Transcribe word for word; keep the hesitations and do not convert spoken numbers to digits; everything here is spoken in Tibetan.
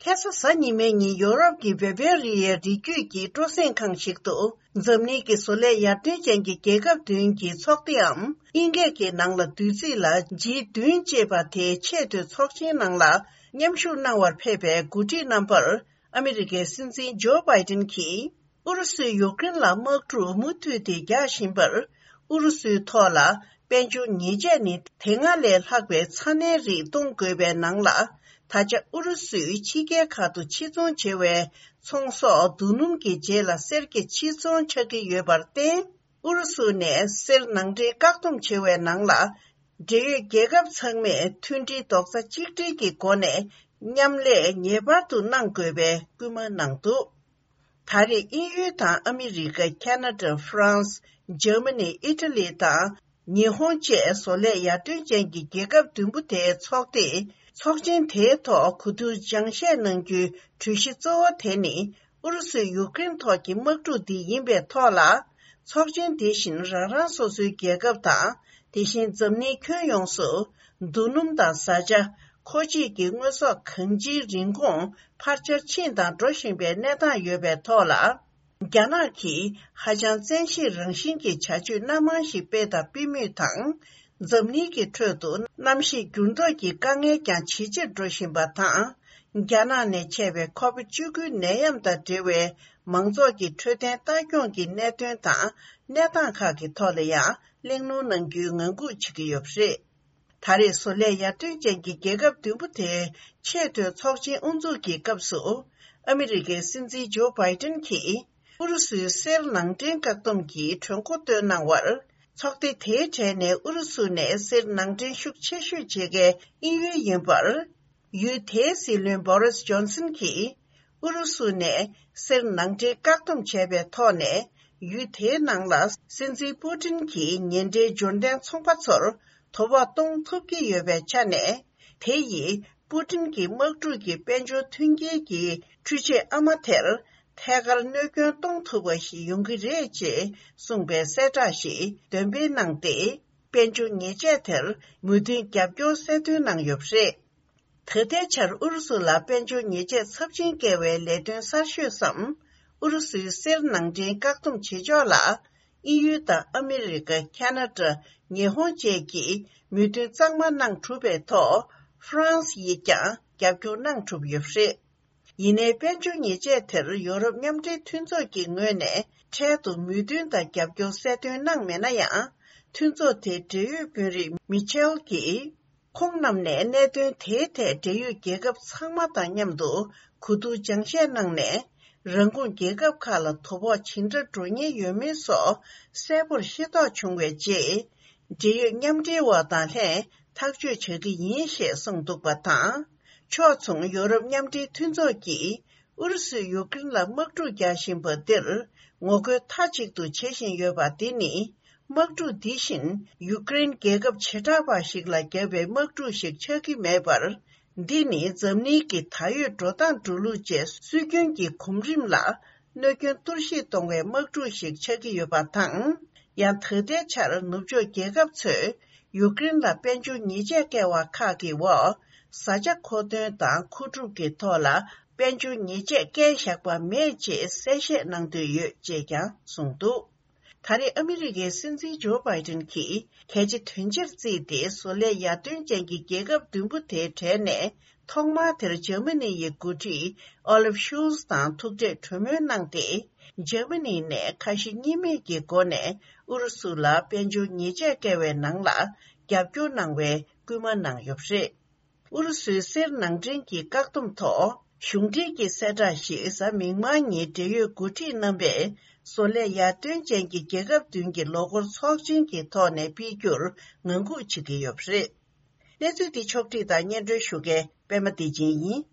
ཁ་སང་གཟའ་ཉི་མའི་ཉིན་ཡོ་རོབ་ཀྱི་བེ་བེ་རི་ཡའི་རི་རྒྱུད་ཀྱི་སྤྲོ་གསེང་ཁང་ཞིག་ཏུ་འཛམ་གླིང་གི་བཟོ་ལས་ཡར་ཐོན་ཅན་གྱི་རྒྱལ་ཁབ་བདུན་གྱི་ཚོགས་སྡེའམ་དབྱིན་སྐད་ཀྱི་ནང་ལ་བསྡུས་ཚིག་ལ་ཇི་བདུན་ཅེས་པ་དེའི་ཆེས་མཐོའི་ཚོགས་ཆེན་ནང་ལ་མཉམ་ཞུགས་གནང་བར་ཕེབས་པའི་འགོ་ཁྲིད་རྣམ་པར། ཨ་མི་རི་ཀའི་སྲིད་འཛིན་ཇོ་བྷའི་ཏིན་གྱིས་ཨུ་རུ་སུས་ཡུཀ་རེན་ལ་དམག་འཁྲུག་མུ་མཐུད་དེ་རྒྱག་བཞིན་པར། ཨུ་རུ་སུའི་ཐོག་ལ་དཔལ་འབྱོར་ཉེས་ཆད་ནི་དེ་སྔ་ལས་ལྷག་པའི་ཚ་ནན་རིགས་གཏོང་དགོས་པའི་ནང་ལ། ད་ཆ་ཨུ་རུ་སུས་ཕྱི་རྒྱལ་ཁག་ཏུ་ཕྱིར་ཚོང་བྱེད་པའི་ཚོང་ཟོག་རྡོ་སྣུམ་གྱི་རྗེས་ལ་གསེར་གྱི་ཕྱིར་ཚོང་ཆགས་ཀྱི་ཡོད་པར་བརྟེན། ཨུ་རུ་སུ་ནས་གསེར་ནང་འདྲེན་བཀག་སྡོམ་བྱེད་པའི་ནང་ལ། འབྲེལ་ཡོད་རྒྱལ་ཁབ་ཚང་མས་མཐུན་སྒྲིལ་རྡོག་རྩ་གཅིག་སྒྲིལ་གྱི་སྒོ་ནས་མཉམ་ལས་ངེས་པར་དུ་གནང་དགོས་པའི་སྐུལ་མ་གནང་འདུག་ད་རེས་དབྱིན་ཡུལ་དང་ཨ་མི་རི་ཀ། ཁ་ན་ཌ། ཧྥ་རན་སི། འཇར་མ་ནི། ཨི་ཊ་ལི་དང་ཉི་ཧོང་བཅས་བཟོ་ལས་ཡར་ཐོན་ཅན་གྱི་རྒྱལ་ཁབ་བདུན་པོ་དེའི་ཚོགས་སྡེས་ཚོགས་ཆེན་དེའི་ཐོག་གོ་བསྡུར་སྦྱང་བཤད་གནང་རྒྱུའི་གྲོས་གཞི་གཙོ་བོ་དེ་ནི། ཨུ་རུ་སུས་ཡུཀ་རེན་ཐོག་གི་དམག་འཁྲུག་འདི་ཡིན་པའི་ཐོག་ལ། ཚོགས་ཆེན་དེ་བཞིན་རང་རང་སོ་སོའི་རྒྱལ་ཁབ་དང་། དེ་བཞིན་འཛམ་གླིང་ཁྱོན་ཡོངས་སུ་རྡོ་སྣུམ་དང་བཟའ་བཅའ། མཁོ་ཆས་ཀྱི་དངོས་ཟོག་གང་ཅིའི་རིན་གོང་འཕར་ཆར་ཕྱིན་དང་འགྲོ་བཞིན་པའི་གནས་སྟངས་ཡོད་པའི་ཐོག་ལ། རྒྱ་ནག་གིས་ཧ་ཅང་བཙན་ཤེད་རང་བཞིན་གྱི་བྱ་སྤྱོད་སྣ་མང་ཞིག་སྤེལ་དང་སྤེལ་མུས་དང་། འཛམ་གླིང་གི་ཁྲོད་དུ་གནམ་གཤིས་འགྱུར་ལྡོག་གི་དཀའ་ངལ་ཀྱང་ཇེ་ཆེར་འགྲོ་བཞིན་པ་དང་། རྒྱ་ནག་ནས་མཆེད་པའི་ཁོ་བིད་བཅུ་དགུ་ནད་ཡམས་དང་འབྲེལ་བའི་མང་ཚོགས་ཀྱི་འཕྲོད་བསྟེན་ལྟ་སྐྱོང་གི་གནད་དོན་དང་གནས་སྟངས་ཁག་གི་ཐོག་ལ་ཡང་གླེང་སློང་གནང་རྒྱུའི་ངང་སྒུག་བྱེད་ཀྱི་ཡོད་པ་རེད། ད་རེས་བཟོ་ལས་ཡར་ཐོན་ཅན་གྱི་རྒྱལ་ཁབ་བདུན་པོ་དེའི་ཆེས་མཐོའི་ཚོགས་ཆེན་དབུ་འཛུགས་ཀྱི་སྐབས་སུ། ཨ་མི་རི་ཀའི་སྲིད་འཛིན་ཇོ་བྷའི་ཏིན་གྱིས། ཨུ་རུ་སུའི་གསེར་ནང་འདྲེན་བཀག་སྡོམ་གྱི་གྲོས་འགོ་བཏོན་གནང་བར། ཚོགས་སྡེ་དེའི་གྲས་ནས་ཨུ་རུ་སུ་ནས་གསེར་ནང་འདྲེན་ཤུགས་ཆེ་ཤོས་བྱེད་མཁན་དབྱིན་ཡུལ་ཡིན་པར། ཡུལ་དེའི་སྲིད་བློན་བོ་རིས་ཇོན་སན་གྱིས། ཨུ་རུ་སུ་ནས་གསེར་ནང་འདྲེན་བཀག་སྡོམ་བྱས་པའི་ཐོག་ནས། ཡུལ་དེའི་ནང་ལ་སྲིད་འཛིན་པུ་ཏིན་གྱི་ཉེ་འབྲེལ་འབྱོར་ལྡན་ཚོང་པ་ཚོར་དོ་ཕོག་གཏོང་ཐུབ་ཀྱི་ཡོད་པའི་ཆ་ནས། དེ་ཡིས་པུ་ཏིན་གྱི་དམག་འཁྲུག་གི་དཔལ་འབྱོར་མཐུན་རྐྱེན་གྱི་འཕྲུལ་ཆས་ཨ་མ་དེར་ཐད་ཀར་གནོད་སྐྱོན་གཏོང་ཐུབ་པ་ཞིག་ཡོང་གི་རེད་ཅེས་གསུངས་པའི་གསལ་བསྒྲགས་ཤིག་འདོན་སྤེལ་གནང་སྟེ། དཔལ་འབྱོར་ཉེས་ཆད་དེར་མོས་མཐུན་རྒྱབ་སྐྱོར་གསལ་སྟོན་གནང་ཡོད་པ་རེད། ད་ལྟའི་ཆར་ཨུ་རུ་སུ་ལ་དཔལ་འབྱོར་ཉེས་ཆད་ཚབས་ཆེན་བཀལ་བའི་ལས་དོན་གསར་ཤོས་སམ། ཨུ་རུ་སུའི་གསེར་ནང་འདྲེན་བཀག་སྡོམ་བྱེད་ཕྱོགས་ལ། དབྱིན་ཡུལ་དང་ཨ་མི་རི་ཀ། ཁ་ན་ཌ། ཉི་ཧོང་བཅས་ཀྱིས་མོས་མཐུན་གཙང་མ་གནང་གྲུབ་པའི་ཐོག་ཧྥ་རན་སི་ཡིས་ཀྱང་རྒྱབ་སྐྱོར་གནང་གྲུབ་ཡོད་པ་རེད། ཡིན་ནའི་དཔལ་འབྱོར་ཉེས་ཆད་དེར་ཡོ་རོབ་མཉམ་འབྲེལ་མཐུན་ཚོགས་ཀྱི་ངོས་ནས་འཕྲལ་དུ་མོས་མཐུན་དང་རྒྱབ་སྐྱོར་གསལ་སྟོན་གནང་མེད་ན་ཡང་། མཐུན་ཚོགས་དེའི་འབྲེལ་ཡོད་དཔོན་རིགས་མི་ཆེལ་གྱིས། ཁོང་རྣམས་ནས་གནད་དོན་དེའི་ཐད་འབྲེལ་ཡོད་རྒྱལ་ཁབ་ཚང་མ་དང་མཉམ་དུ་གོ་བསྡུར་སྦྱང་བཤད་གནང་ནས། རང་ཁོངས་རྒྱལ་ཁབ་ཁག་ལ་དོ་ཕོག་ཇི་འདྲ་འགྲོ་ཉེན་ཡོད་མིན་སོགས་གསལ་པོར་ཤེས་རྟོགས་བྱུང་བའི་རྗེས། འབྲེལ་ཡོད་མཉམ་འབྲེལ་བ་དང་ལྷན་ཐག་གཅོད་བྱ་གི་ཡིན་ཞེས་གསུངས་འདུག་པ་དང་། ཕྱོགས་མཚུངས་ཡོ་རོབ་མཉམ་འབྲེལ་མཐུན་ཚོགས་ཀྱིས། ཨུ་རུ་སུས་ཡུཀ་རེན་ལ་དམག་འཁྲུག་རྒྱག་བཞིན་པ་འདིར་ངོ་རྒོལ་མཐའ་གཅིག་ཏུ་བྱེད་བཞིན་ཡོད་པ་འདི་ནི། དམག་འཁྲུག་འདི་བཞིན་ཡུཀ་རེན་རྒྱལ་ཁབ་བྱེ་བྲག་པ་ཞིག་ལ་བརྒྱབ་པའི་དམག་འཁྲུག་ཞིག་ཆགས་ཀྱི་མེད་པར། འདི་ནི་འཛམ་གླིང་གི་ད་ཡོད་འགྲོ་སྟངས་འགྲོ་ལུགས་བཅས་སྲོལ་རྒྱུན་གྱི་གོམ་རིམ་ལ་གནོད་སྐྱོན་གཏོར་བཤིག་གཏོང་བའི་དམག་འཁྲུག་ཞིག་ཆགས་ཀྱི་ཡོད་པ་དང་། ཡང་ད་ལྟའི་ཆར་ནུབ་ཕྱོགས་རྒྱལ་ཁབ་ཚོས་ཡུཀ་རེན་ལ་དཔལ་འབྱོར་ཉེས་ཆད་བཀལ་བ་ཁག་གི་འོག་བཟའ་བཅའ་མཁོ་འདོན་དང་མཁོ་སྒྲུབ་ཀྱི་ཐོག་ལ། དཔལ་འབྱོར་ཉེས་ཆད་བཀལ་བཞག་པ་མེད་ཅེས་གསལ་བཤད་གནང་འདོད་ཡོད་ཅེས་ཀྱང་གསུངས་འདུག་ད་རེས་ཨ་མི་རི་ཀའི་སྲིད་འཛིན་ཇོ་བྷའི་ཏིན་གྱིས་གལ་ཆེ་དོན་ཆེར་བརྩིས་ཏེ། བཟོ་ལས་ཡར་ཐོན་ཅན་གྱི་རྒྱལ་ཁབ་བདུན་པོ་དེའི་གྲས་ནས་ཐོག་མར་དེར་འཇར་མ་ནི་ཡི་འགོ་ཁྲིད་ཨོ་ལིབ་ཤུལ་ཛི་དང་ཐུག་འཕྲད་གྲོས་མོལ་གནང་སྟེ། འཇར་མ་ནི་ནས་ཁ་ཞེ་གཉིས་མེད་ཀྱི་སྒོ་ནས་ཨུ་རུ་སུ་ལ་དཔལ་འབྱོར་ཉེས་ཆད་བཀལ་བའི་ནང་ལ་རྒྱབ་སྐྱོར་གནང་བའི་སྐུལ་མ་གནང་ཡོད་པ་རེད། ཨུ་རུ་སུའི་གསེར་ནང་འདྲེན་གྱི་བཀག་སྡོམ་ཐོག་གཞུང་འབྲེལ་གྱི་གསལ་བསྒྲགས་ཤིག་གཟའ་མིག་དམར་ཉིན་འབྲེལ་ཡོད་འགོ་ཁྲིད་རྣམ་པས་བཟོ་ལས་ཡར་ཐོན་ཅན་གྱི་རྒྱལ་ཁབ་བདུན་གྱི་ལོ་འཁོར་ཚོགས་ཆེན་གྱི་ཐོག་ནས་སྤེལ་རྒྱུར་ངང་སྒུག་བྱེད་ཀྱི་ཡོད་པ་རེད། གནས་ཚུལ་འདི་ཕྱོགས་བསྒྲིགས་དང་སྙན་སྒྲོན་ཞུ་མཁན་པད་མ་བདེ་ཆེན་ཡིན།